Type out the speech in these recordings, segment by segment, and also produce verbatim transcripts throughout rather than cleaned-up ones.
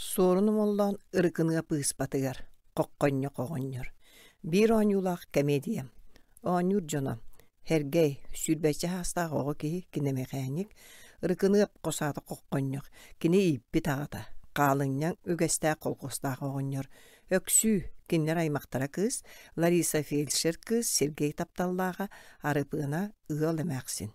Суорун Омоллоон Ырыкыныап ыыспатыгар Хоххонньох оҕонньор Биир оонньуулаах комедия. Оонньуур дьоно Һэргэй, сүүрбэччэ саастаах оҕо киһи, киномэхээньик, Ырыкыныап хос аата Хоххонньох, кини ииппит аҕата, хаалынньаҥ үгэстээх колхуостаах оҕонньор, Өксүү, кинилэр аймахтара кыыс, Лариса фельдшер кыыс, Сергей тапталлааҕа, Арыпыана ыал эмээхсин.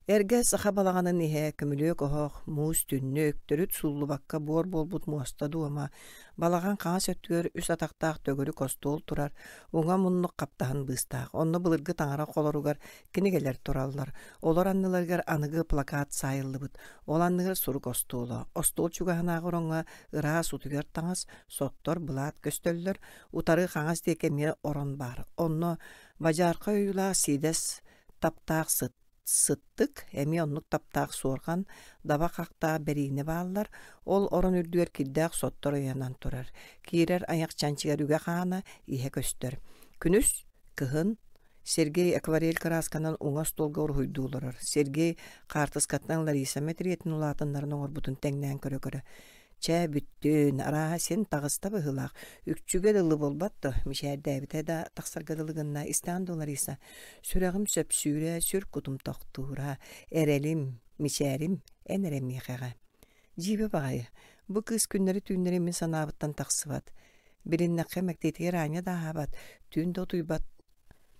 Эргэ саха балаҕанын иһэ көмүлүөк оһох, муус түннүк, төрүт сууллубакка буор буолбут муоста дуома, балаҕан хаҥас өттүгэр үс атахтаах төгүрүк остуол турар, уҥа муннук хаптаһын быыстаах. Онно былыргы таҥара холоругар кинигэлэр тураллар. Олор анныларыгар аныгы плакат саайыллыбыт. Ол анныгар сурук остуола. Остуол чугаһынааҕы ороҥҥо ыраас утуйар таҥас, соттор, былаат көстөллөр. Утары хаҥас диэки эмиэ орон баар. Онно бадьаарка ойуулаах сиидэс таптаах сыт сыттык, эмиэ оннук таптаах суорҕан, даба хахтаах бэриинэ бааллар, ол орон үрдүгэр кирдээх соттор ыйанан турар. Киирэр айах чанчыгар үгэ хаана иһэ көстөр. Күнүс, кыһын Сергей акварель кыраасканан уҥа остуолга уруһуйдуу олорор. Сергей хаартыскаттан Лариса мэтириэтин улаатыннарын оҥорбутун тэҥнээн көрө-көрө Чэ, бүттүн, арааһа син таҕыста быһыылаах, үкчүгэ дылы буолбат дуо, мичээрдээбитэ да тахсарга дылы гынна, истэҕин дуо, Лариса? Сүрэҕим сөпсүүрэ, сүр кутум тохтуура, эрэлим, мичээрим эн эрэ миэхэҕэ. Дьиибэ баҕайы, бу кыыс күннэри-түүннэри мин санаабыттан тахсыбат. Билиннэххэ мэктиэтигэр аанньа да аһаабат, түүн да утуйбат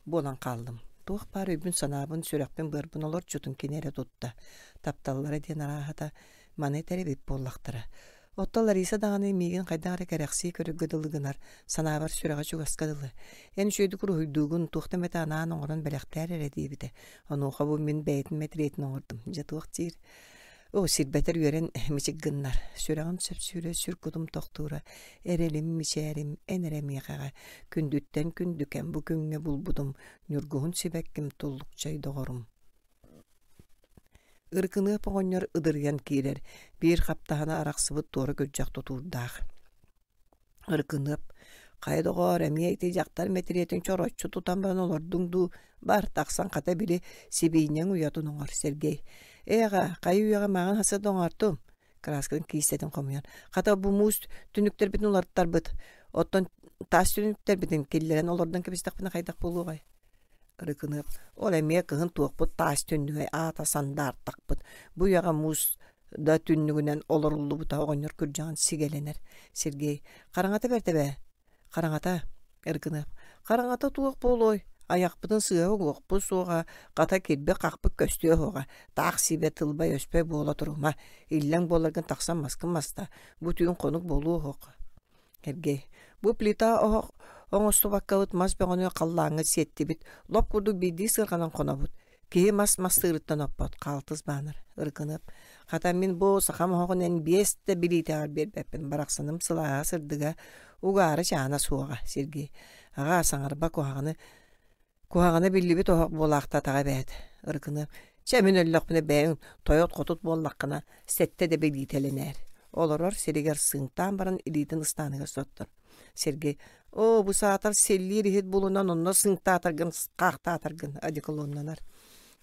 буолан хааллым. Туох баар өйбүн-санаабын, сүрэхпин-быарбын олорчутун кини эрэ тутта. Тапталлара диэн арааһата маны этэр эбит буоллахтара. Оттон Лариса даҕаны миигин хайдах эрэ кэрэхсии көрөргө дылы гынар, санаабар сүрэҕэ чугаска дылы. Эн үчүгэйдик уруһуйдуугун, туохта эмэтэ анаан оҥорон бэлэхтээр эрэ диэбитэ. Онуоха бу мин бэйэтин мэтириэтин оҥордум. Дьэ туох диир? Оо, сирбэтэр үөрэн мичик гыннар. Сүрэҕим сөпсүүрэ, сүр кутум тохтуура, эрэлим, мичээрим, эн эрэ миэхэҕэ. Күндүттэн күндүкэм бу күҥҥэ булбутум, ньургуһун сибэкким, туллукчай доҕорум. Ыркыныап оҕонньор ыдырыйан киирэр, биир хаптаһына арахсыбыт туора күрдьэх тутуурдаах. Ыркыныап, хайа доҕоор, эмиэ ити дьахтар мэтириэтин чороччу тутан баран олордуҥ дуу, бар тахсан хата били сибиинньэҥ уйатын оҥор, Сергей. Ээ аҕа, хайа үйэҕэ маҕан хаса да оҥортум. Кырааскатын киистэтин хомуйан. Хата бу муус түннүктэрбитин уларыттарбыт. Оттон таас түннүктэрбитин киллэрэн олордон кэбистэхпинэ хайдах буолуоҕай? Ырыкыныап, ол эмиэ кыһын туохпут таас түннүгэй аата сандаартахпыт. Бу үйэҕэ муус да түннүгүнэн олоруллубута оҕонньор күрдьэҕин сигэлэнэр. Сергей, хараҥата бэрт эбээ. Хараҥата, Ырыкыныап, хараҥата туох буолуой? Айахпытын сыыһа угуохпут суоҕа, хата кирбик-хахпыт көстүө суоҕа. Таах сиибэ тылбай-өспөй буола турума. Иллэҥ буоларгын тахсан маскын маста. Бу түүн хонук буолуо суох. Сергей, бу плита оһох оҥостубаккабыт мас бөҕөнү халлааҥҥа сиэттибит, лоп курдук биирдии сыарҕанан хонобут. Киһи мас мастыырыттан оппот, хаалтыс баанар, ыркыныап. Хата мин бу сахам оһоҕун эн биэс да билиитэҕэр биэрбэппин, барахсаным сылааһа сырдыга, угаара чаана суоҕа, Сергей. Аҕаа, саҥарба куһаҕаны Куһаҕана биллибит оһох буолаахтаатаҕа эбээт, Ырыкыныап. Чэ, мин өллөхпүнэ бэйэҥ тойот-хотут буоллаххына, сэттэ да билиитэлэнээр. Олорор сиригэр сыыҥтаан баран илиитин ыстааныгар соттор. Сергей, оо, бу саатар силлиир иһит булунан онно сыыҥтаатаргын, хаахтаатаргын одеколоннанар.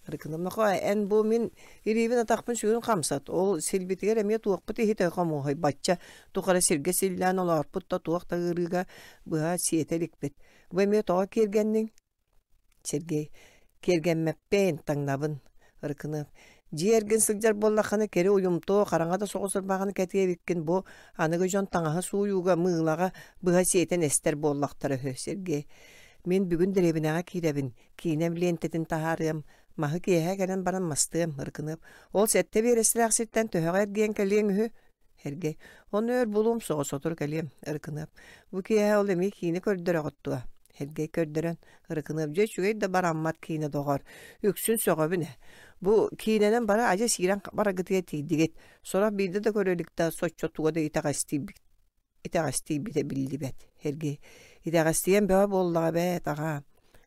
Ырыкыным, нохоо, эн бу мин илиибин атахпын сүгүн хамсат, ол силбитигэр эмиэ туохпут иһитэ хомуоһай бачча тухары сиргэ силлээн олоорпут да туох да ыарыыга быһа сиэтэ иликпит. Бу эмиэ тоҕо киэргэнниҥ? Сергей, киэргэммэппин, таҥнабын. Ырыкыныап, дьиэ эргин сылдьар буоллаххына кэри уйумтуо, хараҥа да соҕус ырбаҕын кэтиэ эбиккин бу аныгы дьон таҥаһы сууйууга, мыылаҕа быһа сиэтэн эстэр буоллахтара үһү. Сергей, мин бүгүн дэриэбинэҕэ киирэбин, киинэм лиэнтэтин таһаарыам, маһы киэһэ кэлэн баран мастыам, Ырыкыныап, ол сэттэ биэрэстэлээх сиртэн төһөҕө эргийэн кэлиэҥ үһү? Сергей, ону өр булуом соҕус сотору кэлиэм, Ырыкыныап, бу киэһэ ол эмиэ киинэ көрдөрөҕүт дуо? Сергей көрдөрөн, Ырыкыныап, дьэ үчүгэй да бараммат киинэ доҕор, үксүн сөҕөбүн ээ. Бу киинэнэн бары адьас киирэн бараргытыгар тиийдигит, сорох биирдэ да көрө илик да соччо туга да итэҕэстийбит итэҕэстийбитэ биллибэт. Сергей, итэҕэстийэн бөҕө буоллаҕа эбээт, аҕаа.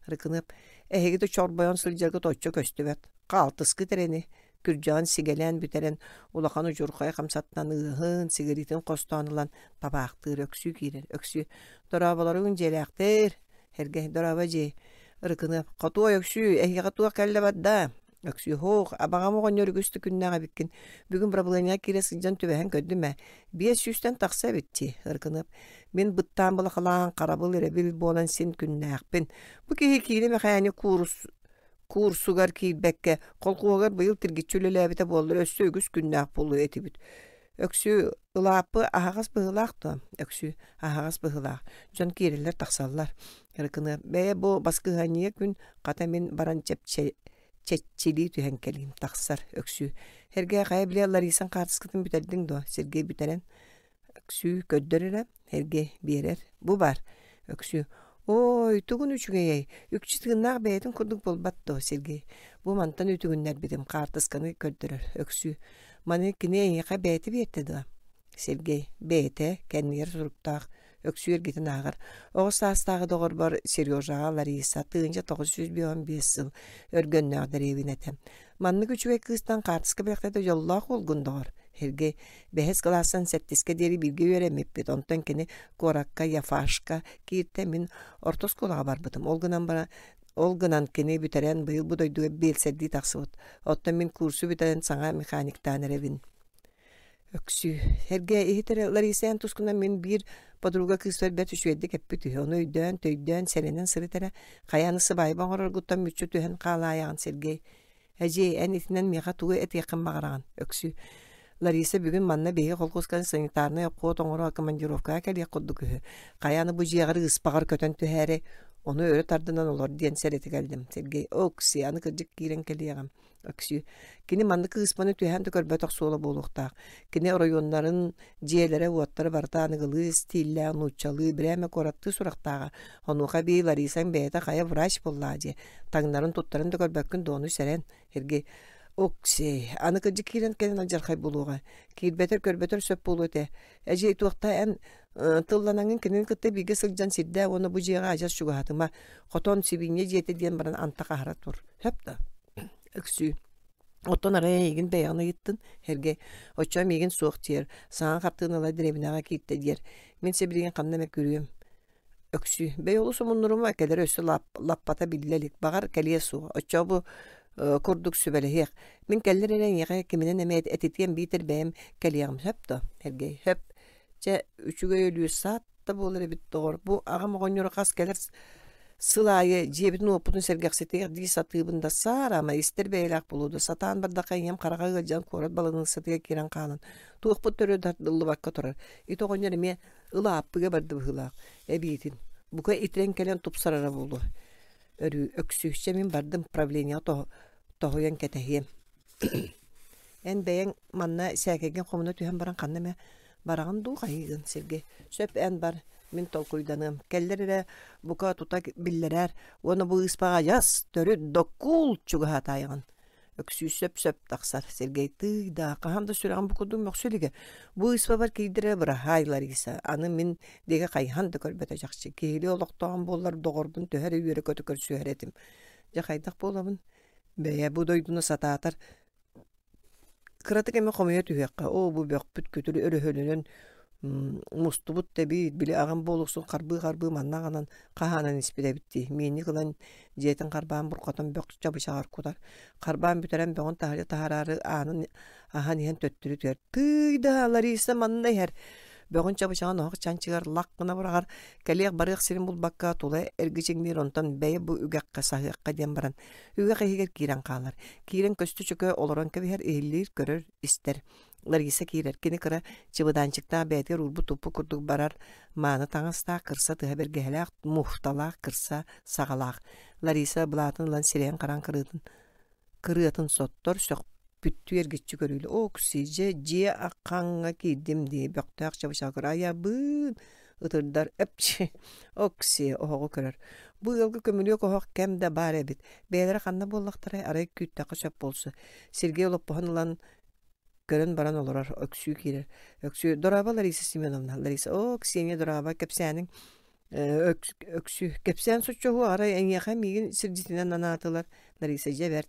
Ырыкыныап, эһиги да чорбойон сылдьаргыт оччо көстүбэт, хаалтыскыт эрэни күрдьэҕин сигэлээн бүтэрэн улахан удьурхай хамсаттан ыаһын, сигаритын хостоон ылан табаахтыыр, Өксүү киирэр, Өксүү дорооболоруҥ дьиэлээхтэр, Эргэ дорообо дьиэ, Ырыкыныап, хотуой Өксүү, эһиэхэ туох кэллэ барда? Өксүү һоох, абаҕам оҕонньор үгүс да күннээх эбиккин. Бүгүн бырабылыанньаҕа киирэ сылдьан түбэһэн көрдүм ээ. Биэс сүүстэн тахса эбит дии, Ыркыныап. Мин быттаан былахалаан харабыл эрэбил буолан син күннээхпин. Бу киһи киинэ мэхээни куурус куурсугар киирбэккэ, колхуоһугар быйыл тиргиччи үлэлээбитэ буоллар өссө үгүс күннээх буолуо этибит. Өксүү ылааппы аһаҕас быһыылаах дуо? Өксүү аһаҕас быһыылаах. Дьон киирэллэр тахсаллар. Ырыкыныап бэйэ бу баскыһыанньыйа күн хата мин баран чэпчэ чэччилии түһэн кэлиим тахсар Өксүү. Эргээ хайа билэ Ларисаҥ хаартыскатын бүтэрдиҥ дуо? Сергей бүтэрэн Өксүү көрдөр эрэ, Эргэ биэрэр. Бу баар. Өксүү. Ой, тугун үчүгэйэй, үкчү тыыннаах бэйэтин курдук буолбат дуо, Сергей? Бу мантан үтүгүннэрбитим, хаартысканы көрдөрөр. Өксүү. Маны кини эйиэхэ бэйэтэ биэрдэ дуо? Сергей. Бэйэтэ, кэннигэр суруктаах. Өксүү эргитин ааҕар. Оҕо саастааҕы доҕорбор Сережаҕа Лариса тыһыынча тоҕус сүүс биэс биэс сыл өргөннөөх дэриэбинэтэ. Маннык үчүгэй кыыстан хаартыска бэлэхтэтэ дьоллоох уолгун доҕор. Сергей бэһис кылаастан сэттискэ диэри бииргэ үөрэммиппит. Онтон кини куоракка Яфашка кииртэ, мин орто оскуолаҕа барбытым. Ол гынан баран ол гынан кини бүтэрэн быйыл бу дойдуга биэлсэрдии тахсыбыт. Оттон мин курсу бүтэрэн саҥа механиктаан эрэбин. Өксүү. Эргэ иһит эрэ Лариса эн тускунан мин биир подруга кыыспар бэрт үчүгэйдик эппит үһү. Ону өйдөөн, төйдөөн, сэрэнэн сырыт эрэ. Хайааны сыбаайба оҥороргуттан мүччү түһэн хаалаайаҕын Сергей. Эдьиэй, эн итинэн миэхэ тугу этиэххин баҕараҕын? Өксүү. Лариса бүгүн манна биһиги холкуоска санитарнай обход оҥоро командировкаҕа кэлиэх курдук үһү. Хайааны бу дьиэҕэр ыыспаҕар көтөн түһээри, ону өрө тардынан олор диэн сэрэтэ кэллим. Сергей, Окси, аны кырдьык киирэн кэлиэҕим. Өксүү. Кини маннык ыыспаны түһээн да көрбөтөх суола буолуохтаах. Кини оройуоннарын дьиэлэрэ-уоттара барыта аныгылыы стиллээх, нууччалыы, бирээмэ куораттыы сурахтааҕа. Онуоха эбии Ларисаҥ бэйэтэ хайа врач буоллаҕа дии. Таҥнарын туттарын да көрбөккүн дуо, ону сэрэн. Сергей, Оксей, аны кырдьык киирэн кэлэн алдьархай буолуоҕа. Киирбэтэр көрбөтөр сөп буолуо этэ. Эдьиэй туохта эн тылланаҥын кинини кытта бииргэ сылдьан сирдээ уонна бу дьиэҕэ адьас чугаһатыма. Хотон сибиинньэ дьиэтэ диэн баран антах аһара тур. Сөп да? Өксүү. Оттон арай эйигин бэйэҕин ыйыттын, Сергей. Оччо миигин суох диэр. Саҥа хартыыналар дэриэбинэҕэ кииртэ диэр. Мин сибилигин ханна эмэ күрүөм. Өксүү. Бэй олус омуннурума, кэлэр өссө лап, лаппата биллэ илик. Баҕар кэлиэ суоҕа. Оччо бу курдук сүбэлэһиэх. Мин кэллэр эрэ эйиэхэ киминэн эмэ этитиэм биитэр бэйэм кэлиэҕим сөп дуо? Сергей. Сөп. Чэ, үчүгэй өлүү саат да буолар эбит доҕор. Бу аҕам оҕонньоро хас кэлэр сыл аайы дьиэбитин-уоппутун сэргэхситиэх дии сатыыбын да саараама истэр бэйэлээх буолуо да сатаан бардахха ийэм хараҕа ыалдьан куорат баланыыссатыгар киирэн хаалан туохпут төрүө тардыллыбакка турар. Ити оҕонньор эмиэ ылааппыга барда быһыылаах. Эбиитин бука итирэн кэлэн тупсарара буолуо. Өрүү өксүүччэ мин бардым правлениеҕа тоһуйан кэтэһиэм. Эн бэйэҥ манна сээкэйгин хомуна түһэн баран ханна эмэ бараҕын дуу хайыыгын Сергей. Сөп эн бар, мин толкуйданыам. Кэллэр эрэ бука тута биллэрээр уонна бу ыыспаҕа адьас төрүт доккуул чугаһаатаайаҕын. Өксүү сөп-сөп тахсар. Сергей тыый да, хаһан да сүрэҕим бу курдук мөхсө илигэ. Бу ыыспабар киирдэрэ быраһаай Лариса. Аны мин диэки хайыһан да көрбөтө чахчы. Киһилии олохтооҕум буоллар доҕорбун төһө эрэ үөрэ-көтө көрсүһэр этим. Дьэ хайдах буолабын? Бэйэ бу дойдуну сатаатар кыратык эмэ хомуйа түһүөххэ. Оо, бу бөхпүт күтүр өрөһөлөнөн мустубут да эбит, били аҕам буолуксун харбыы-харбыы манна аҕанан хаһаанан испит эбит дии. Миинник ылан дьиэтин харбаан бурҕатан бөх чабычаҕар кутар. Харбаан бүтэрэн бөҕүн таһырдьа таһаараары аанын аһан иһэн төттөрү түһэр. Тыый да, Лариса манна иһэр. Бөҕүн чабычаҕын оһох чанчыгар лах гына быраҕар, кэлиэх-барыах сирин булбакка тула эргичиҥниир, онтон бэйэ бу үгэххэ саһыахха диэн баран үгэх иһигэр киирэн хаалар. Киирэн көстө чөкө олорон кэбиһэр, иһиллиир, көрөр, истэр. Лариса киирэр. Кини кыра чыбыдаанчыктаах бэйэтигэр уурбут-туппут курдук барар мааны таҥастаах, кырса тыһа бэргэһэлээх, муфталаах, кырса саҕалаах. Лариса былаатын ылан сирэйин харан кырыытын кырыатын соттор, сөхпүттүү эргиччи көрүүлэ. Окси, дьэ, дьиэ аххаҥҥа киирдим дии, бөхтөөх чабычаҕа көрөр. Айабыын! Ытырдар, эпчи! Окси, оһоҕу көрөр. Бу ыалга көмүлүөк оһох кэм да баар эбит. Бэйэлэрэ ханна буоллахтарай, арай күүттэххэ сөп буолсу. Сергей олоппоһун ылан көрөн баран олорор. Өксүү киирэр. Өксүү, дорообо, Лариса Семеновна. Лариса, о, Ксения, дорообо, кэпсээниҥ Өксүү, кэпсээн соччоһуо, арай эйиэхэ миигин сирдьитинэн анаатылар. Лариса, дьэ бэрт.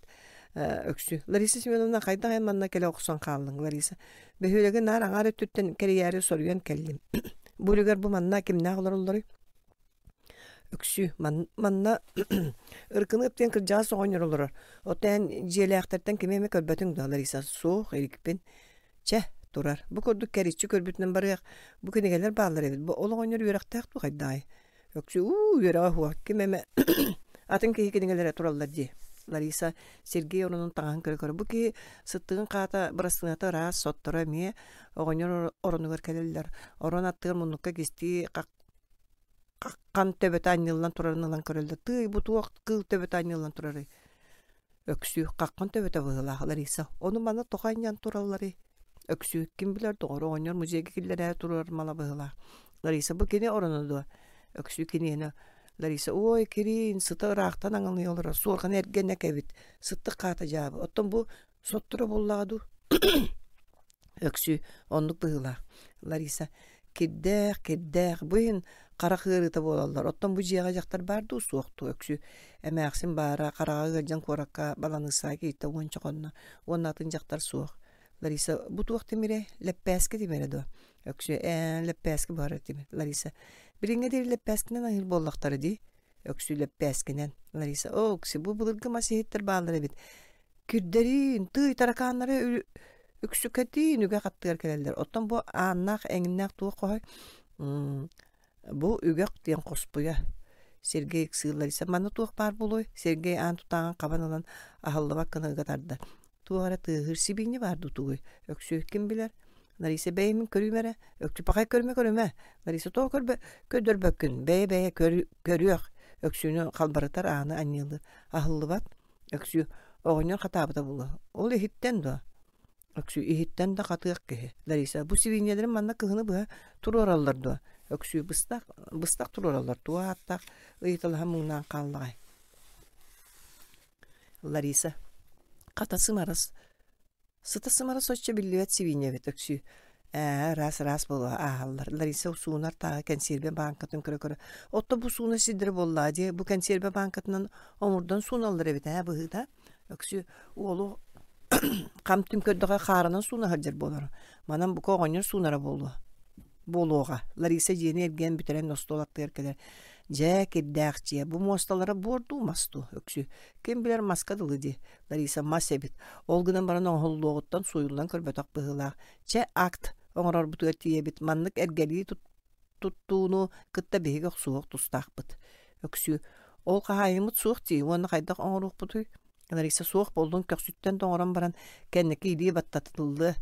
Өксүү. Лариса Семеновна, хайдах эн манна кэлэ охсон хааллыҥ, Лариса? Бөһүөлэги наар аҥаар өттүттэн кэрийээри соруйан кэллим. Бу үлүгэр бу манна кимнээх олороллоруй? Өксүү манна Ыркыныап диэн кырдьаҕас оҕонньор олорор. Оттон эн дьиэлээхтэртэн кими эмэ көрбөтүҥ дуо, Лариса? Суох, иликпин. Чэ, турар. Бу курдук кэриччи көрбүтүнэн барыах. Бу кинигэлэр бааллар эбит. Бу ол оҕонньор үөрэхтээх дуу хайдаҕай? Өксүү уу үөрэҕэ суох. Ким эмэ атын киһи кинигэлэрэ тураллар дии. Лариса Сергей оронун таҥаһын көрө-көрө бу киһи сыттыгын хаата бырастыыната ыраас, сотторо эмиэ оҕонньор оронугар кэлэллэр. Орон аттыгар муннукка кистии хаххан төбөтө анньыллан турарын ылан көрөллөр. Тыый, бу туох кыыл төбөтө анньыллан турарый? Өксүү хаххан төбөтө быһыылаах Лариса. Ону манна тоҕо анньан туралларый? Өксүү ким билэр доҕор оҕонньор музейга киллэрээ турар мала быһыылаах. Лариса бу кини ороно дуо? Өксүү киниэнэ Лариса ой кириин сыта ыраахтан аҥылый олорор суорҕаны эргэнэ кэбит сыттык хаата дьаабы оттон бу сотторо буоллаҕа дуу Өксүү оннук быһыылаах Лариса кирдээх кирдээх бу иһин харах ыарыыта буолаллар оттон бу дьиэҕэ дьахтар баар дуу суох дуу Өксүү эмээхсин баара хараҕа ыалдьан куоракка баланыыссаҕа кииртэ уонча хонно уонна атын дьахтар суох Лариса бу туох тимирэ лэппээски тимирэ дуо Өксүү ээ лэппээски буһарар тимир Лариса билиҥҥэ диэри лэппээскинэн аһыыр буоллахтара дии Өксүү лэппээскинэн Лариса оо Өксүү бу былыргы мас иһиттэр бааллар эбит кирдэриин тыый таракааннары үксүкэтиин үгэх аттыгар кэлэллэр оттон бу ааннаах эҥиннээх туох хоһой бу үгэх диэн хоспуйа Сергей ыксыыр Лариса манна туох баар буолуой Сергей аан тутааҕын хабан ылан аһыллыбат гына ыга тардар туох эрэ тыаһыыр сибиинньэ баар дуу тугуй Өксүү ким билэр Лариса бэйэмин көрүүм эрэ Өксүү пахай көрүмэ көрүмэ Лариса тоҕо көрбө көрдөрбөккүн бэйэ бэйэ көрүөх Өксүүнү халбарытар ааны анньыалыыр аһыллыбат Өксүү оҕонньор хатаабыта буолуо ол иһиттэн дуо Өксүү иһиттэн да хатыах киһи. Лариса, бу сибиинньэлэрин манна кыһыны быһа туруораллар дуо? Өксүү быстах, быстах туруораллар. Туох ааттаах ыйыталаһан муҥнаан хааллаҕай? Лариса, хата сымарас. Сыта сымара соччо биллибэт сибиинньэ эбит Өксүү. Ээ, ыраас-ыраас буолуо ааһаллар. Лариса суунар тааҕы кэнсиэрбэ бааҥкатын көрө-көрө. Отто бу сууна сирдэрэ буоллаа дии. Бу кэнсиэрбэ бааҥкатынан омурдан сууналлар эбит ээ быһыыта. Өксүү уолу хам-түм көрдөҕө хаарынан сууна сылдьар буолар. Манан бука оҕонньор суунара буолуо. Буолуоҕа. Лариса дьиэни эргийэн бүтэрэн остуол аттыгар кэлэр. Дьэ, кирдээх дьиэ. Бу муосталара буор дуу, мас дуу? Өксүү. Ким билэр маска дылы дии. Лариса мас эбит. Ол гынан баран оҥоһуллуоҕуттан сууйуллан көрбөтөх быһыылаах. Чэ, акт оҥорорбутугар тиийэбит. Маннык эргэлии туттууну кытта биһиги охсуһуох тустаахпыт. Өксүү. Ол хаһаайыммыт суох дии уонна хайдах оҥоруохпутуй? Лариса суох буоллун көхсүттэн тоҥорон баран кэнники илии баттатыллыа.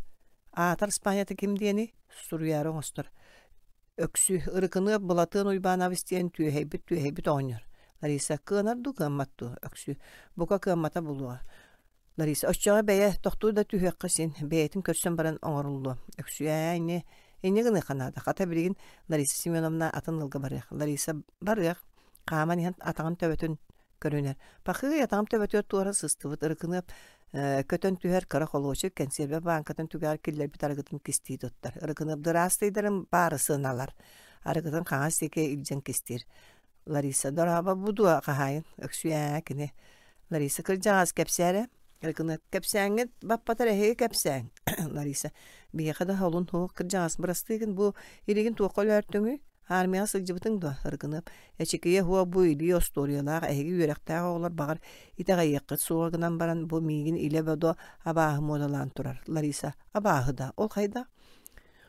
Аатар Испанията ким диэний? Суруйаары оҥостор. Өксүү Ырыкыныап Былатыан Уйбаанабыс диэн түөһэйбит түөһэйбит оҕонньор. Лариса кыанар дуу кыаммат дуу? Өксүү бука кыаммата буолуоҕа. Лариса оччоҕо бэйэ тохтуу да түһүөххэ син бэйэтин көрсөн баран оҥоруллуо. Өксүү ээ ини инньэ гыныахха наада. Хата билигин Лариса Семеновна атын ыалга барыах. Лариса барыах. Хааман иһэн атаҕын төбөтүн көрүнэр. Пахыый атаҕым төбөтүгэр туора сыстыбыт Ырыкыныап көтөн түһэр кыра холуочук кэнсиэрбэ бааҥкатын түгэҕэр киллэрбит арыгытын кистии туттар. Ырыкыныап дыраастыйдарын баары сыаналар. Арыгытын хаҥас диэки илдьэн кистиир. Лариса дорообо бу дуо хаһаайын Өксүү ээ кини. Лариса кырдьаҕас кэпсээрэ. Ырыкыныап кэпсээҥҥит баппатар эһиги кэпсээҥ. Лариса биһиэхэ да холун суох кырдьаҕас бырастыыгын бу илигин туохха өлөөртүҥүй? Армияҕа сылдьыбытыҥ дуо? Ырыкыныап эчикийэ һуох бу илии остуоруйалаах эһиги үөрэхтээх оҕолор баҕар итэҕэйиэххит суоҕа гынан баран бу миигин илэ-бодо абааһы муодалаан турар. Лариса абааһы да ол хайдах?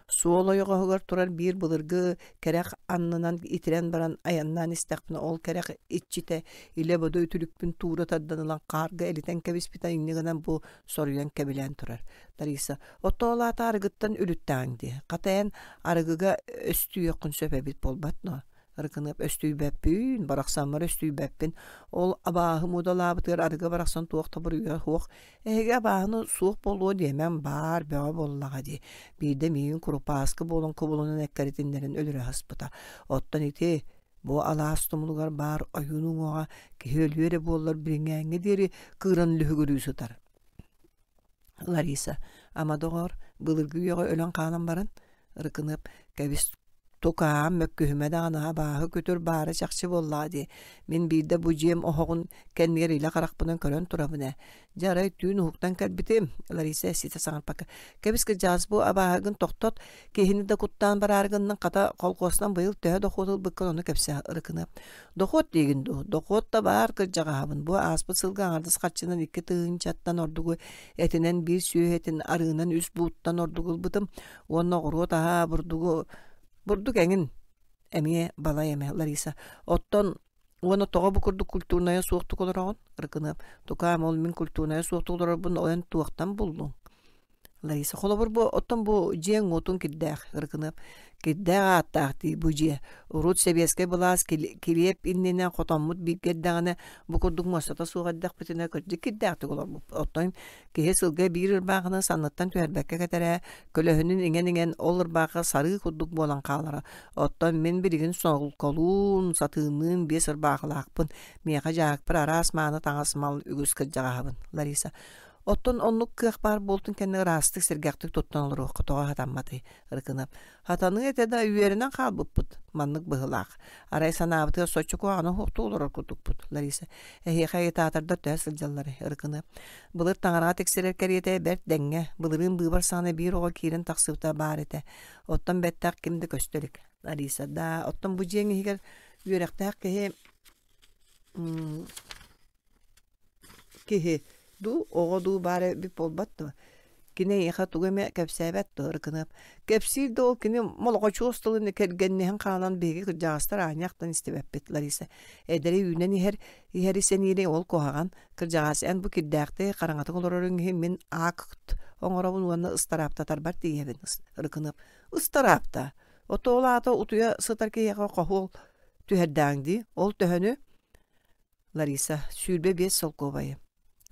Суол ойоҕоһугар турар биир былыргы кэрэх аннынан итирэн баран айаннаан истэхпинэ ол кэрэх иччитэ илэ-бодо үтүлүкпүн туура тардан ылан хаарга элитэн кэбиспитэ инньэ гынан бу соруйан кэбилээн турар. Лариса оттоо ол аата арыгыттан үлүттэҕиҥ дии. Хата эн арыгыга өстүйүөххүн сөп эбит буолбат дуо? Ырыкыныап өстүйбэппин, барахсаммар өстүйбэппин. Ол абааһы муудалаабытыгар арыгы барахсан туох да буруйа суох. Эһиги абааһыны суох буолуо диэмэм баар бөҕө буоллаҕа дии. Биирдэ миигин курупааскы буолан кубулунан эккэритиннэрин өлөрө сыспыта. Оттон ити бу алаас тумулугар баар ойуун уҥуоҕа киһи өлүө эрэ буоллар билиҥҥээҥҥэ диэри кыыран лүһүгүрүү сытар. Лариса, ама доҕоор, былыргы үйэҕэ өлөн хаалан баран, Ырыкыныап кэбис Тукаам мөккүһүмэ даҕаны абааһы күтүр баара чахчы буоллаҕа дии. Мин биирдэ бу дьиэм оһоҕун кэннигэр илэ харахпынан көрөн турабын ээ. Дьэ арай түүн уһуктан кэлбитим. Лариса ситэ саҥарбакка. Кэбис кырдьаҕас бу абааһыгын тохтот, киһини да куттаан бараары гынныҥ хата колхуостан быйыл төһө дохуот ылбыккын ону кэпсээ Ырыкыныап. Дохуот диигин дуу? Дохуот да баар кырдьаҕаһабын. Бу ааспыт сылга аҥардас харчынан икки тыһыынчаттан ордугу этинэн биир сүөһү этин арыынан үс бууттан ордугу ылбытым. Уонна оҕуруот аһа бурдугу бурдук эҥин эмиэ балай эмэ Лариса. Оттон уонна тоҕо бу курдук культурнайа суохтук олороҕун? Ырыкыныап. Тукаам ол мин культурнайа суохтук олорорбун ойон туохтан буллуҥ? Лариса. Холобур бу оттон бу дьиэҥ уотун кирдээх Ырыкыныап. Кирдээх ааттаах дии бу дьиэ. Урут сэбиэскэй былаас килиэп иннинэ хотоммут бииргэ эрдэҕинэ бу курдук муостата суох эрдэхпитинэ кырдьык кирдээхтик олорбуппут. Оттон киһи сылга биир ырбаахыны санныттан түһэрбэккэ кэтэрэ, көлөһүнүн иҥэн-иҥэн ол ырбаахы сарыы курдук буолан хаалара. Оттон мин билигин солколуун, сатыынныын биэс ырбаахылаахпын. Миэхэ дьаакпар араас мааны таҥас мал үгүс кырдьаҕаһабын. Лариса. Оттон оннук кыах баар буолтун кэннэ ыраастык, сэргэхтик туттан олоруохха тоҕо хатамматый? Ырыкынап. Хатаныы этэ да үөрэнэн хаалбыппыт. Маннык быһылаах. Арай санаабытыгар соччо куһаҕаны суохтуу олорор курдукпут. Лариса. Эһиэхэ агитатордар төһө сылдьалларый? Ырыкынап. Былыр таҥараҕа тиксэрэр кэриэтэ бэрт дэҥҥэ. Былырыын быыбар саҕана биир оҕо киирэн тахсыбыта баар этэ. Оттон бэттэх ким да көстө илик. Лариса. Да, оттон бу дьиэҥ иһигэр үөрэхтээх киһи киһи дуу, оҕо дуу баар эбит буолбат дуо? Кини эйиэхэ тугу эмэ кэпсээбэт дуо, Ырыкыныап? Кэпсиир да ол кини молоҕочуос тылын кэргэнниһэн хаалан биһиги кырдьаҕастар аанньахтан истибэппит, Лариса. Эдэри үүнэн иһэр, иһэри сэниири ол куһаҕан. Кырдьаҕас эн бу кирдээхтик хараҥатык олороруҥ иһин мин акт оҥоробун уонна ыстарааптатарбар тиийэбин, Ырыкыныап. Ыстараапта? Ото ол аата утуйа сытар киһиэхэ хоһуол түһэрдээҥ дии. Ол төһөнү? Лариса, сүүрбэ биэс солкуобайы.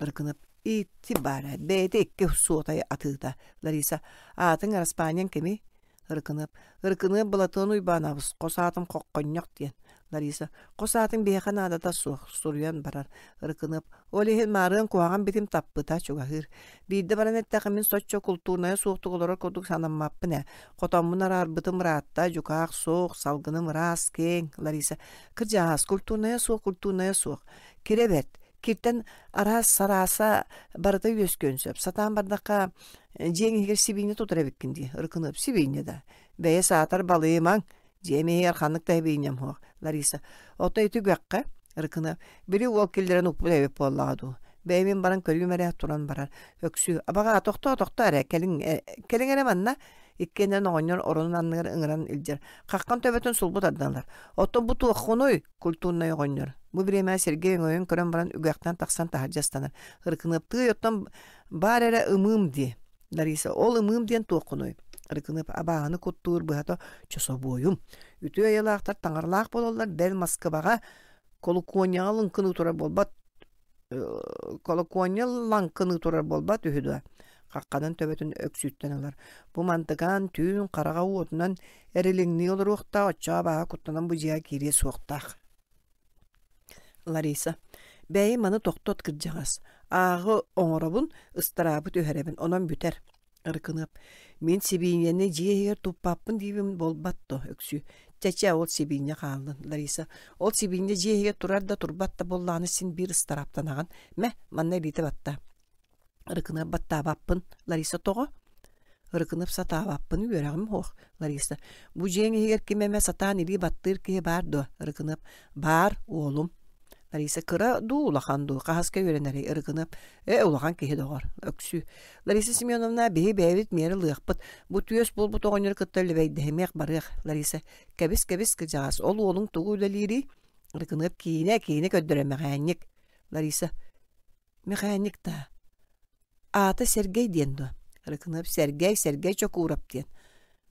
Ырыкынап ити баара бэйэтэ икки суотай атыыта. Лариса, аатыҥ Араспаанньаҥ кимий? Ырыкыныап. Ырыкыныап Былатыан Уйбаанабыс, хос аатым Хоххонньох диэн. Лариса, хос аатыҥ биһиэхэ наадата суох, суруйан барар. Ырыкыныап, ол иһин маарыан куһаҕан битим таппыта чугаһыыр. Биирдэ баран эттэххэ мин соччо култуурнайа суохтук олорор курдук санаммаппын ээ. Хотоммун араарбытым ыраатта, дьукаах суох, салгыным ыраас, киэҥ. Лариса, кырдьаҕас, культурнайа суох, культурнайа суох. Кирэ бэрт. Киртэн араас сарааса барыта үөскүөн сөп. Сатаан бардахха дьиэҥ иһигэр сибиинньэ тутар эбиккин дии. Ырыкыныап сибиинньэ да. Бэйэ саатар балыйымаҥ. Дьиэм иһигэр ханнык да сибиинньэм суох. Лариса. Ото ити үгэххэ. Ырыкыныап. Били уол киллэрэн укпут эбит буоллаҕа дуу. Бэйэм баран көрүүм эрэ туран барар. Өксүү. Абаҕаа тохтоо тохтоо эрэ кэлиҥ кэлиҥ эрэ манна. Иккиэннэрин оҕонньор оронун анныгар ыҥыран илдьэр. Хаххан төбөтүн сулбу тардан Оттон бу туоххунуй? Культурнай оҕонньор. Бу бириэмэ Сергей өҥөйөн көрөн баран үгэхтэн тахсан таһырдьа ыстанар. Ырыкыныаптыы оттон баар эрэ ымыым дии. Лариса, ол ымыым диэн туоххунуй? Ырыкыныап абааһыны куттуур быһата чособуойум. Үтүө айылаахтар таҥаралаах буолаллар бэл Москваҕа колокуонньаҕа лыҥкыныы турар буолбат колокуонньа лаҥкыныы турар буолбат үһү дуо? Хахханан төбөтүн өксүүттэн ылар. Бу мантыкаан түүн хараҕа уотунан эрилиҥнии олоруохтаах, оччоҕо абааһы куттанан бу дьиэҕэ киириэ суохтаах. Лариса. Бэйи маны тохтот кырдьаҕас. Ааҕы оҥоробун, ыстараабы түһэрэбин, онон бүтэр. Ырыкыныап. Мин сибиинньэни дьиэ иһигэр туппаппын диибин буолбат дуо, Өксүү. Чэ-чэ, ол сибиинньэ хааллын, Лариса. Ол сибиинньэ дьиэ иһигэр турар да турбат да буоллаҕына син биир ыстарааптанаҕын. Мэ, манна илиитэ батта. Ырыкыныап баттаабаппын. Лариса тоҕо? Ырыкынып сатаабаппын үөрэҕим суох. Лариса. Бу дьиэҥ иһигэр ким эмэ сатаан илии баттыыр киһи баар дуо? Ырыкыныап. Баар, уолум. Лариса кыра дуу, улахан дуу, хаһаска үөрэнэрий? Ырыкыныап. Ээ, улахан киһи доҕор. Өксүү. Лариса Семеновна, биһи бэйэбит миэрэ ылыахпыт. Бу түөс буолбут оҕонньору кытта лэбэйдэһимиэх барыах. Лариса. Кэбис, кэбис, кыдьаҕас. Ол уолуҥ тугу үлэлиирий? Ырыкыныап киинэ, киинэ көрдөрө мэхээнньик. Лариса. Мэхээнньик даа. Аата Сэргэй диэн дуо? Ырыкыныап Сэргэй, Сэргэй Чокуурап диэн.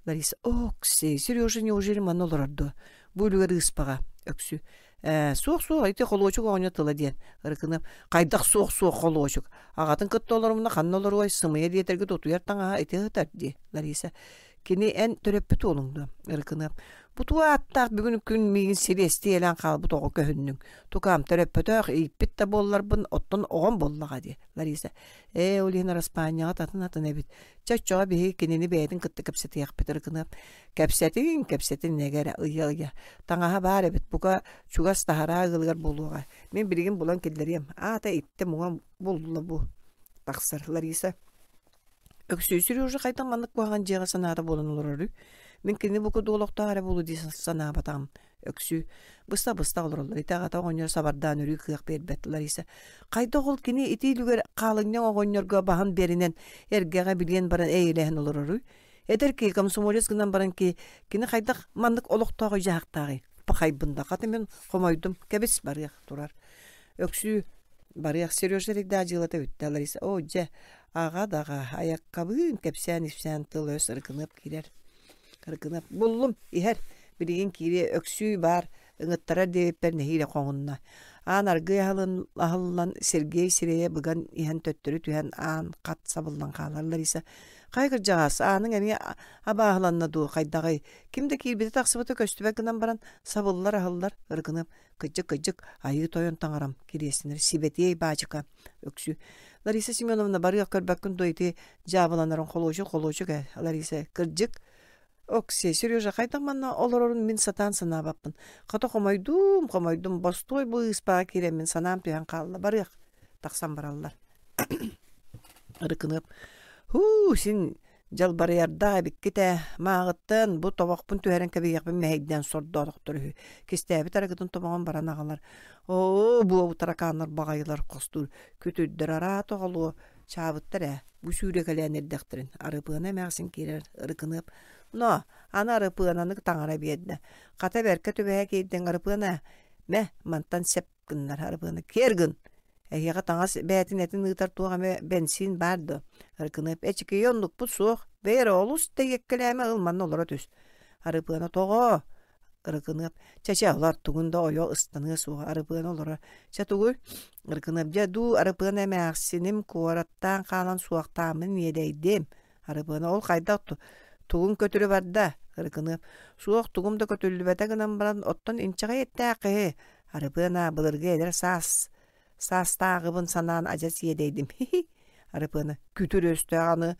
Лариса, Окси, Сережа неужели манна олорор дуо? Бу үлүгэр ыыспаҕа, Өксүү. Ээ, суох-суох, ити холуочук оҕонньор тыла диэн. Ырыкыныап, хайдах суох-суох холуочук? Аҕатын кытта олорумна ханна олоруой, сымыйа диэтэргит утуйар таҥаһа ити ыһытар дии. Лариса, Кини эн төрөппүт уолуҥ дуо? Ырыкыныап. Бу туох ааттаах бүгүн күн миигин сириэстийэлээн хаалбыт оҕо көһүннүҥ. Тукаам төрөппөтөх, ииппит да буолларбын, оттон оҕом буоллаҕа дии. Лариса. Ээ, ол иһин араспаанньаҕа атын-атын эбит. Чэ, оччоҕо биһиги кинини бэйэтин кытта кэпсэтиэхпит Ырыкыныап. Кэпсэтиҥ, кэпсэтин нэгэрэ, ыйа-ыйа. Таҥаһа баар эбит, бука чугас таһараа ыалыгар буолуоҕа. Мин билигин булан киллэриэм. Аата иттэ муҥа булла бу. Тахсар Лариса. Өксүү Сережа хайдах маннык куһаҕан дьиэҕэ санаата буолан олороруй? Мин кинини бу курдук олохтоох эрэ буолуо дии санаабатаҕым. Өксүү. Быста-быста олороллор. Ити аҕата оҕонньор сабардаан өрүү кыах биэрбэт Лариса. Хайдах ол кини ити үлүгэр хаалынньаҥ оҕонньорго баһын биэринэн эргэҕэ билиэн баран эйэлэһэн олороруй? Эдэр киһи комсомолец гынан баран ки кини хайдах маннык олохтоох дьаһахтааҕый? Пахайбын да хата мин хомойдум. Кэбис барыах турар. Өксүү барыах Сережа эрийдээх дьыалата бүттэ Лариса. Оо дьэ аҕа даҕа айаккабыын кэпсээн-ипсээн тыл-өс Ырыкыныап киирэр. Ырыкыныап буллум иһэр билигин киириэ Өксүү баар ыҥыттарар диэбиппэр нэһиилэ хоҥунна. Аан аргыый аһылын аһыллан Сергей сирэйэ быган иһэн төттөрү түһэн аан хат сабыллан хаалар Лариса хайа кырдьаҕас ааныҥ эмиэ абааһыланна дуу хайдаҕый ким да киирбитэ тахсыбыта көстүбэт гынан баран сабыллар аһыллар Ырыкыныап кыдьык кыдьык айыы тойон таҥарам кириэстэнэр сибэтиэй баачыка Өксүү Лариса Семеновна барыах көрбөккүн дуо ити дьаабыланарын холуочук холуочук ээ Лариса кырдьык Оксия, Сережа хайдах манна олорорун мин сатаан санаабаппын. Хата хомойдум, хомойдум, бостуой бу ыыспаҕа киирэммин санаам түһэн хаалла. Барыах. Тахсан бараллар. Ырыкыныап. Һуу, син дьалбарыйардаах эбиккит ээ. Мааҕыттан бу тобохпун түһэрэн кэбиһиэхпин мэһэйдээн сордоотохтор үһү. Кистээбит арыгытын тобоҕун баран аҕалар. Оо, буобу таракааннар баҕайылар хостуур. Күтүрдэр араат оҕолуо. Чаабыттар ээ. Бу сүүрэкэлээн эрдэхтэрин. Арыпыана эмээхсин киирэр. Ырыкыныап. Но, аны Арыпыананы таҥара биэрдэ. Хата бэркэ түбэһэ киирдиҥ Арыпыана. Мэ, мантан сеп гыннар Арыпыана. Киэр гын! Эһиэхэ таҥас бээтин этин ыытар туох эмэ бэнсиин баар дуо? Ырыкыныап эчикийэ оннукпут суох. Бэйэ эрэ олус тэйиэккэлээмэ ыл манна олоро түс. Арыпыана тоҕо? Ырыкыныап чэ-чэ олор тугун да ойо ыстаныа суоҕа Арыпыана олорор. Чэ тугуй? Ырыкыныап дьэ дуу Арыпыана эмээхсиним куораттаан хаалан суохтааммын иэдэйдим. Арыпыана ол хайдах тугун көтүрү барда? Ырыкыныап суох тугум да көтүллүбэтэ гынан баран оттон инчэҕэй эттээх киһи. Арыпыана былыргы эдэр саас саастааҕыбын санаан адьас иэдэйдим. Хи-хи. Арыпыана күтүр өстөөх аны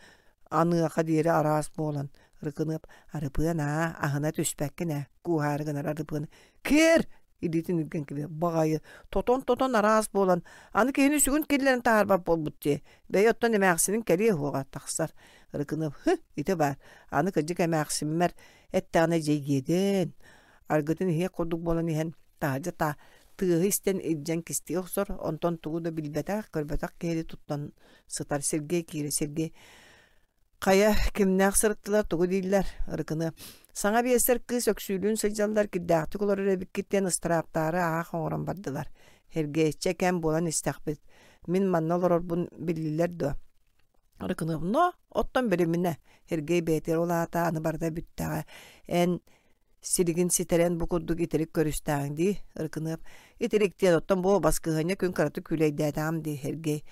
аныаха диэри араас буолан Ырыкыныап Арыпыана аһына түспэккин ээ кууһаары гынар Арыпыана киэр илиитин илгэн кэбиһэр баҕайы тотон-тотон араас буолан аны киһини сүгүн киллэрэн таһаарбат буолбут дии бэйэ оттон эмээхсинин кэлиэ уоҕа тахсар Ырыкыныап һы ити баар аны кырдьык эмээхсиммэр эттэҕинэ дьэйгиэдин аргытын иһиэх курдук буолан иһэн таһырдьа та тыаһы истэн илдьэн кистии охсор онтон тугу да билбэтэх көрбөтөх киһини туттан сытар Сергей киирэ Сергей хайа кимнээх сырыттылар тугу дииллэр Ырыкыны саҥа биэсэр кыыс Өксүүлүүн сылдьаллар кирдээхтик олорор эбиккит диэн ыстарааптаары аах оҥорон бардылар Сергей чэ кэм буолан истэхпит мин манна олорорбун биллилэр дуо Ырыкыны но оттон билиминэ Сергей бэйэтигэр ол аата аны барыта бүттэҕэ эн силигин ситэрэн бу курдук итирик көрүстээҕиҥ дии Ырыкыныап итирик диэн оттон бу баскыһыанньа күн кыратык күүлэйдээтэҕим дии Сергей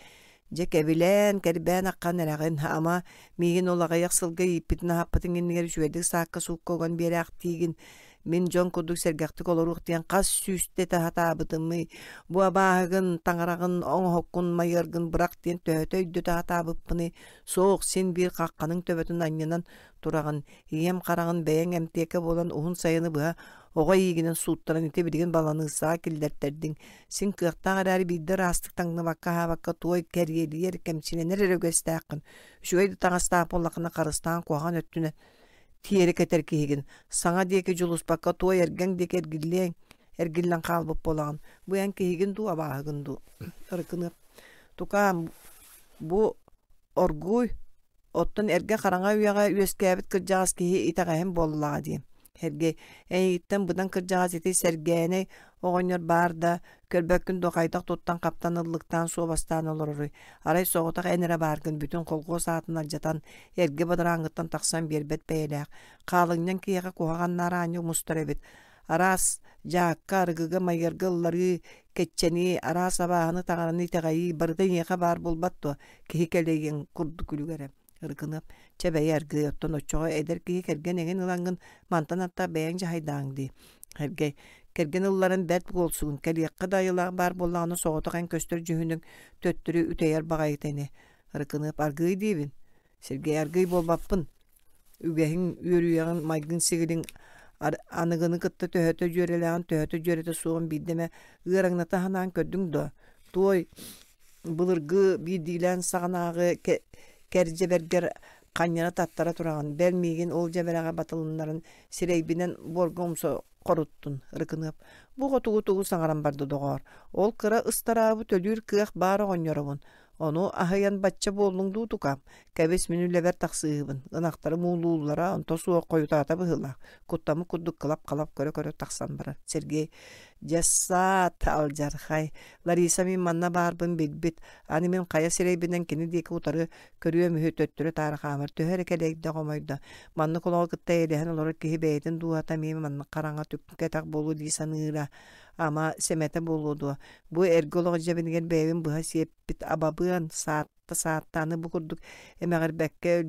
дьэ кэбилээн кэрбээн аххан эрэҕин ама миигин ол аҕыйах сылга ииппитин аһаппытыҥ иннигэр үчүгэйдик саакка-суукка уган биэрээхтиигин мин дьон курдук сэргэхтик олоруох диэн хас сүүстэ сатаабытымый бу абааһыгын таҥараҕын оҥоһуккун майыаргын бырах диэн төһөтө өйдөтө сатаабыппыный суох син биир хахханыҥ төбөтүн анньынан тураҕын ийэм хараҕын бэйэҥ эмтиэкэ буолан уһун сайыны быһа оҕо иигинэн сууттаран ити билигин баланыыссаҕа киллэртэрдиҥ син кыахтаах эрээри биирдэ ыраастык таҥныбакка аһаабакка туой кэриэлийэр кэмчилэнэр эрэ үгэстээххин үчүгэй да таҥастаах буоллаххына харыстаан куһаҕан өттүнэн тиэрэ кэтэр киһигин саҥа диэки дьулуспакка туой эргэҥ диэки эргиллиэҥ эргиллэн хаалбыт буолаҕын бу эн киһигин дуу абааһыгын дуу Ырыкыныап тукаам бу оргууй оттон эргэ хараҥа үйэҕэ үөскээбит кырдьаҕас киһи итэҕэһин буоллаҕа дии Сергей эйигиттэн быдан кырдьаҕас ити Сэргээнэй оҕонньор баар да көрбөккүн дуо хайдах туттан-хаптан ыллыктаан суобастаан олороруй арай соҕотох эн эрэ бааргын бүтүн колхуос аатын алдьатан эргэ бадарааҥҥыттан тахсан биэрбэт бэйэлээх хаалынньаҥ киһиэхэ куһаҕаннаары аанньа умустар эбит араас дьаакка арыгыга майыарга ылларыы кэччэнии араас абааһыны таҥараны итэҕэйии барыта эйиэхэ баар буолбат дуо киһи кэлэйиэн курдук күлүгэрэ Ырыкыныап, чэ бэйэ аргыый, оттон оччоҕо эдэр киһи кэргэн эҥин ылаҥҥын мантан аттаах бэйэҥ дьаһайдааҥ дии. Сергей, кэргэн ылларан бэрт буолсугун, кэлиэххэ да айылаах баар буоллаҕына соҕотох эн көстөр дьүһүнүҥ төттөрү үтэйэр баҕайыта ини. Ырыкыныап, аргыый диибин. Сергей, аргыый буолбаппын. Үгэһиҥ, үөрүйэҕиҥ, майгыҥ-сигилиҥ аныгыны кытта төһөтө дьүөрэлээҕин, төһөтө дьүөрэтэ суоҕун биирдэ эмэ ыараҥната санаан көрдүҥ дуо? Туой былыргы биирдиилээн саҕанааҕы кэрдьэбэргэр ханньана таттара тураҕын, бэл миигин ол дьэбэрэҕэ батылыннаран сирэйбинэн буорга умса хоруттун, Ырыкыныап. Бу хотугу тугу саҥаран барда доҕоор, ол кыра ыстараабы төлүүр кыах баар оҕонньоробун. Ону аһыйан бачча буоллуҥ дуу тукаам, кэбис мин үлэбэр тахсыыһыбын, ынахтарым уулууллара онто суох хойутаата быһыылаах, куттаммыт курдук кылап-халап көрө-көрө тахсан барар. Сергей, дьассаат, алдьархай, Лариса мин манна баарбын билбит, аны мин хайа сирэйбинэн кини диэки утары көрүөм үһү төттөрү-таары хаамар, төһө эрэ кэлэйдэ хомойдо, маннык олоҕу кытта эйэлэһэн олорор киһи бэйэтин дууһата эмиэ маннык хараҥа түккэтэх буолуо дии саныыра, ама сэмэтэ буолуо дуо, бу эргэ олох дьэбинигэр бэйэбин быһа сиэппит абабыан, саатта сааттааны бу курдук эмэҕирбэккэ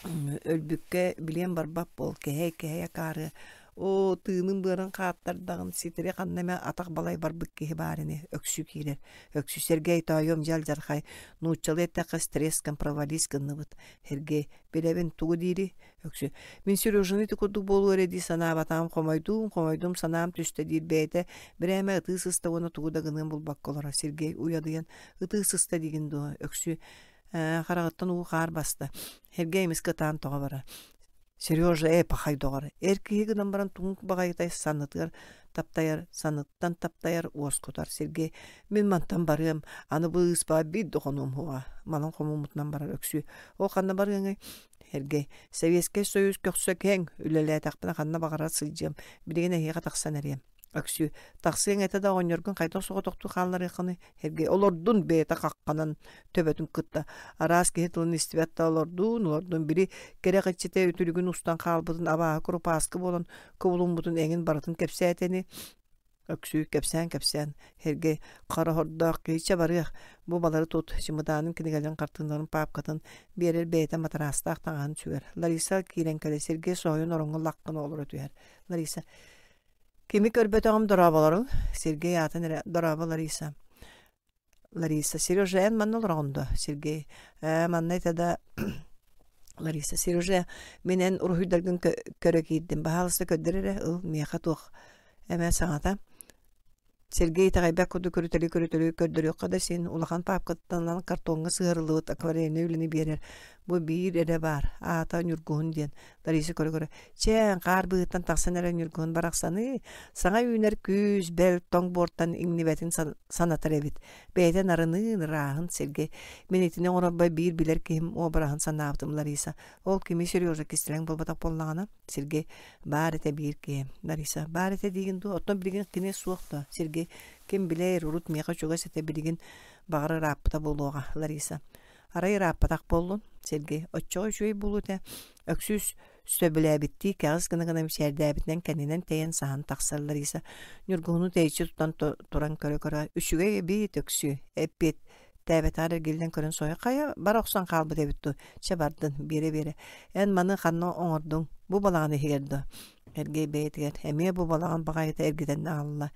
өлбүккэ билиэн барбат буол, кэһэй-кэһэй акаарыа, оо, тыыным быарын хааттардаҕын, ситэри ханна эмэ атах балай барбыт киһи баар ини, Өксүү киирэр. Өксүү Сергей тоойуом дьэ алдьархай, нууччалыы эттэххэ стресскэн провались гынныбыт. Сергей, билэбин тугу диирий? Өксүү, мин Сережаны ити курдук буолуо эрэ дии санаабатаҕым, хомойдуум, хомойдум, санаам түстэ диир бэйэтэ бирээмэ ытыы сыста уонна тугу да гыныан булбакка олорор. Сергей уйадыйан, ытыы сыста диигин дуо? Өксүү, ээ, хараҕыттан уу хаар баста. Сергей эмискэ ытаан тоҕо барар. Сережа ээ пахай доҕор, эр киһи гынан баран тугун баҕайытай саннытыгар таптайар, санныттан таптайар, уоскутар. Сергей, мин мантан барыам, аны бу ыыспаҕа биир да хонуом суоҕа. Манан хомуммутунан барар Өксүү. Ол ханна барыаҥый? Сергей, Советскай Союз көхсө киэҥ, үлэлээтэхпинэ ханна баҕарар сылдьыам, билигин эһиэхэ тахсан эриэм. Өксүү, тахсыаҥ этэ да оҕонньоргун хайдах соҕотохтуу хаалларыаххыный? Сергей, олордун бэйэтэ хахханан төбөтүн кытта араас киһи тылын истибэт да олордун, олордун били кэрэх иччитэ үтүлүгүн устан хаалбытын абааһы курупааскы буолан кубулуммутун эҥин барытын кэпсээтэни Өксүү кэпсээн-кэпсээн, Сергей хара хордоох киһиччэ барыах, бу балары тут, чымыдаанын кинигэлэрин хартыыналарын паапкатын биэрэр бэйэтэ матараастаах таҥаһын сүгэр. Лариса киирэн кэлэр, Сергей соһуйан ороҥҥо лаххына олоро түһэр. Лариса, кими көрбөтөҕүм дорооболоруҥ? Сергей аатын эрэ, дорообо Лариса. Лариса, Сережа, эн манна олороҕун дуо? Сергей, ээ, манна этэ да Лариса, Сережа, мин эн уруһуйдаргын көрө киирдим, баһаалыста көрдөр эрэ, ыл, миэхэ туох эмэ саҥата. Сергей итэҕэйбэт курдук көрүтэлии-көрүтэлии көрдөрүөххэ да син улахан паапкаттан ылан картоҥҥа сыһыарыллыбыт акварельнай үлэни биэрэр. Бу биир эрэ баар, аата Ньургуһун диэн. Лариса көрө-көрө, чээн, хаар быыһыттан тахсан эрэ Ньургуһун барахсаныы, саҥа үүнэр күүс, бэл, тоҥ буортан иҥнибэтин санатар эбит. Бэйэтэ нарыныын, ырааһын Сергей. Мин итини оҥорорбор биир билэр киһим уобараһын санаабытым Лариса. Ол кими Сережа кистэлэҥ буолбатах буоллаҕына, Сергей, баар этэ биир киһи. Лариса, баар этэ диигин дуо? Оттон билигин кини суох дуо? Сергей, ким билэр, урут миэхэ чугас этэ билигин баҕар ырааппыта буолуоҕа. Лариса, арай ырааппатах буоллун? Сергей, оччоҕо үчүгэй буолуо этэ. Өксүүс сөбүлээбиттии кэҕис гына-гына мичээрдээбитинэн кэннинэн тэйэн саһан тахсар Лариса. Ньургуһуну тэйиччи тутан туран көрө-көрө, үчүгэй эбиит Өксүү, эппиэт тээбэтэҕэр эргиллэн көрөн соһуйа, хайа бара охсон хаалбыт эбит дуу, чэ бардын, биэрэ-биэрэ, эн маны ханна оҥордуҥ, бу балаҕан иһигэр дуо? Эргэй бэйэтигэр, эмиэ бу балаҕан баҕайыта эргитэн аҕалла.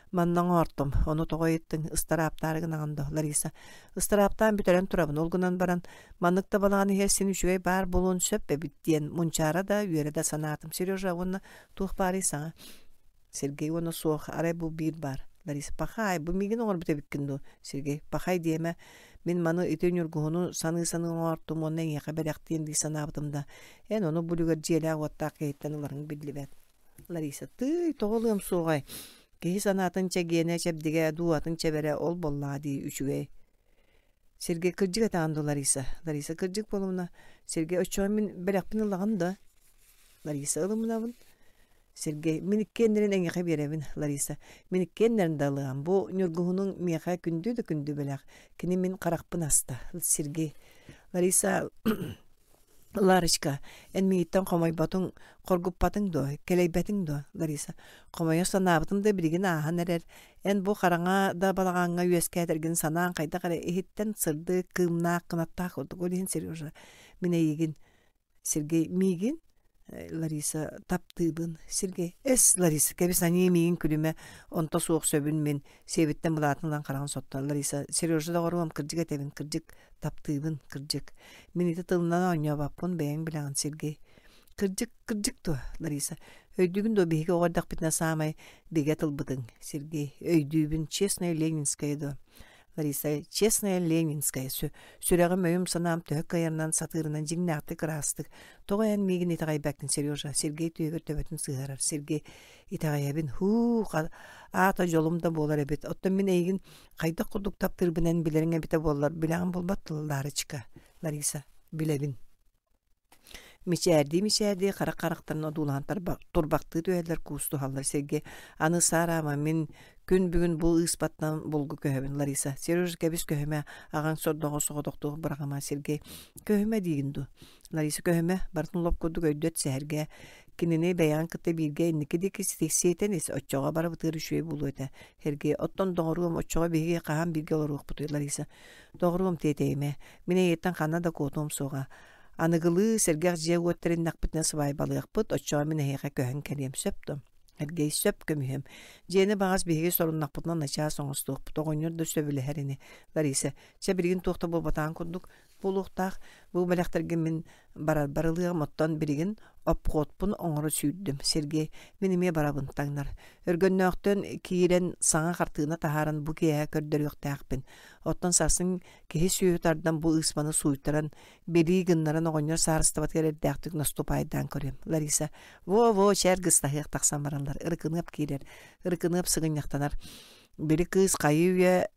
Манна оҥортум, ону тоҕо ыйыттыҥ, ыстарааптаары гынаҕын дуо, Лариса? Ыстарааптаан бүтэрэн турабын, ол гынан баран, маннык да балаҕан иһигэр син үчүгэй баар буолуон сөп эбит диэн мунчаара да, үөрэ да санаатым. Сережа уонна туох баарый саҥа? Сергей уонна суох, арай бу биир баар. Лариса, пахай, бу миигин оҥорбут эбиккин дуо? Сергей, пахай диэмэ, мин маны ити ньургуһуну саныы-саныы оҥортум уонна эйиэхэ бэлэхтиэм дии санаабытым да, эн ону бу үлүгэр дьиэлээх-уоттаах киһиттэн ыларыҥ биллибэт. Лариса, тыый, тоҕо ылыам суоҕай? Киһи санаатын чэгиэнэ, чэбдигэ, дууһатын чэбэрэ ол буоллаҕа дии үчүгэй. Сергей, кырдьык этэҕин дуу, Лариса? Лариса, кырдьык буолумуна. Сергей, оччоҕо мин бэлэхпин ылаҕын да? Лариса, ылымынабын. Сергей, мин иккиэннэрин эйиэхэ биэрэбин, Лариса. Мин иккиэннэрин да ылыам. Бу ньургуһунуҥ миэхэ күндү да күндү бэлэх. Кини мин харахпын аста. Сергей, Лариса, Ларочка, эн миигиттэн хомойботуҥ, хоргуппатыҥ дуо, кэлэйбэтиҥ дуо, Лариса? Хомойо санаабытым да билигин ааһан эрэр. Эн бу хараҥа да балаҕаҥҥа үөскээтэргин санаан хайдах эрэ иһиттэн сырдык, кыымнаах, кынаттаах курдук. Ол иһин Сережа, мин эйигин, Сергей, миигин, Лариса, таптыыбын. Сергей, эс, Лариса, кэбис аньыы миигин күлүмэ, онто суох сөбүн мин, сиэбиттэн былаатын ылан хараҕын соттор. Лариса, Сережа доҕоруом, кырдьык этэбин, кырдьык, таптыыбын, кырдьык. Мин ити тылынан оонньообоппун, бэйэҥ билэҕин, Сергей. Кырдьык, кырдьык дуо, Лариса? Өйдүүгүн дуо биһиги оҕо эрдэхпитинэ саамай бигэ тылбытыҥ, Сергей. Өйдүүбүн, честная ленинская дуо? Лариса, честная ленинская, сүрэҕим өйүм санаам төһө кыайарынан сатыырынан дьиҥнээхтик ыраастык. Тоҕо эн миигин итэҕэйбэккин, Сережа? Сергей түөһүгэр төбөтүн сыһыарар. Сергей, итэҕэйэбин. Һуу, аата дьолум да буолар эбит. Оттон мин эйигин хайдах курдук таптыырбын эн билэриҥ эбитэ буоллар, билэҕин буолбат тыл, Ларочка. Лариса, билэбин. Мичээрдии-мичээрдии харах харахтарын одуулаһан турбахтыы түһэллэр, куустуһаллар. Сергей, аны саараама, мин күн бүгүн бу ыыспаттан булгу көһөбүн, Лариса. Сережа, кэбис көһүмэ, аҕаҥ сордоҕо соҕотохтуох быраҕыма, Сергей. Көһүмэ диигин дуу? Лариса, көһүмэ, барытын лоп курдук өйдөт сэһэргээ. Кинини бэйэҕин кытта бииргэ инники диэки сиэтэн ис, оччоҕо барыбытыгар үчүгэй буолуо этэ. Сергей, оттон доҕоруом, оччоҕо биһиги хаһан бииргэ олоруохпутуй, Лариса. Доҕоруом тиэтэйимэ, мин эйиэттэн ханна да куотуом суоҕа. Аныгылыы сэргэх дьиэ-уот тэриннэхпитинэ сыбаайбалыахпыт, оччоҕо мин эһиэхэ көһөн кэлиэм, сөп дуо? Сергей, сөп көмүһүөм. Дьиэни баҕас биһиги соруннахпытына начаас оҥостуохпут, оҕонньор да сөбүлэһэр ини. Лариса, чэ билигин туох да буолбатаҕын курдук буолуохтаах. Бу бэлэхтэргэ мин барарбар ылыаҕым, оттон билигин обходпун оҥоро сүүрдүм. Сергей, мин эмиэ барабын, таҥнар. Өргөннөөхтөн киирэн саҥа хартыына таһааран бу киэһэ көрдөрүөхтээхпин. Оттон сарсын киһи сүөһү тардан бу ыыспаны сууйтаран, билии гыннаран оҕонньор саарыстыбатыгар эрдээхтик наступайдаан көрүөм. Лариса, во-во, чээр гыстаһыах тахсан бараллар. Ырыкыныап киирэр. Ырыкыныап сыгынньахтанар. Били кыыс хайыы үйэ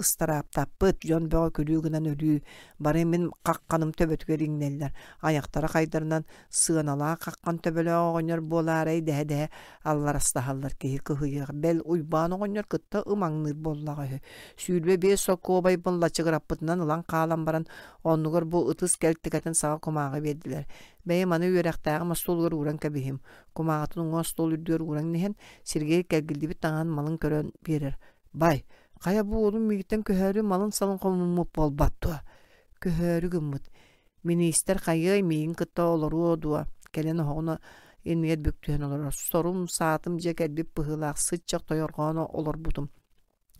ыстарааптаппыт, дьон бөҕө күлүү гынан өлүү, бары мин хахханым төбөтүгэр иҥнэллэр, айахтара хайдарынан сыаналаах хаххан төбөлөөх оҕонньор буолаарай дэһэ-дэһэ алларастаһаллар киһи кыһыйыах, бэл Уйбаан оҕонньор кытта ымаҥныыр буоллаҕа үһү. Сүүрбэ биэс солкуобайбын лачыгыраппытынан ылан хаалан баран, оннугар бу ытыс кэлтикэтин саҕа кумааҕы биэрдилэр. Бэйэм аны үөрэхтээҕим остуолугар ууран кэбиһим. Кумааҕытын уҥа остуол үрдүгэр ууран иһэн, Сергей кэлгиллибит таҥаһын малын көрөн биэрэр. Бай, хайа бу уолум миигиттэн көһөөрү малын-салын хомуммут буолбат дуо? Көһөөрү гыммыт. Миниистир хайыай миигин кытта олоруо дуо? Кэлэн оһоҕун иннигэр бүк түһэн олорор. Сорум, саатым дьиэ кэлбит быһыылаах сыччах тойорҕоон олорбутум.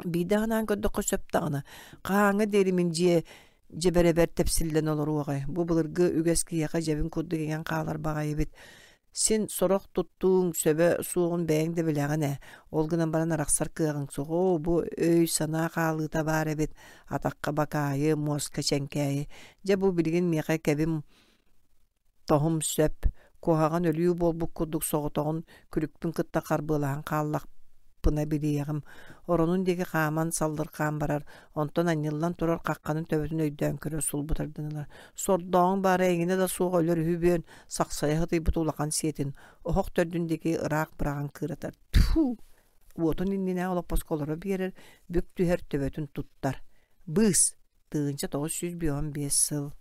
Биирдэ санаан көрдөххө сөп даҕаны. Хаһааҥҥа диэри мин дьиэ дьэбэрэбэр тэпсиллэн олоруоҕай? Бу былыргы үгэс киһиэхэ дьэбин курдук иҥэн хаалар баҕайы эбит. Син сорох туттууҥ сөбө суоҕун бэйэҥ да билэҕин ээ. Ол гынан баран арахсар кыаҕыҥ суох. Оо, бу өй-санаа хаалыыта баар эбит. Атахха бакаайы, муоска чэҥкээйи. Дьэ бу билигин миэхэ кэбим тоһум сөп. Куһаҕан өлүү буолбут курдук соҕотоҕун күлүкпүн кытта харбыалаһан хааллахпына билиэҕим. Оронун диэки хааман саллырхаан барар, онтон анньыллан турар хахханын төбөтүн өйдөөн көрөр сулбутардан ылар. Сордооҕуҥ баара эҥинэ да суох өлөр үһү бүөн, сахсайа сытыйбыт улахан сиэтин, оһох төрдүн диэки ыраах быраҕан кыыратар. Тьфу! Уотун иннинээҕи олоппоско олоро биэрэр, бүк түһэр төбөтүн туттар. Быыс! Тыһыынча тоҕус сүүс биэс уон биэс сыл.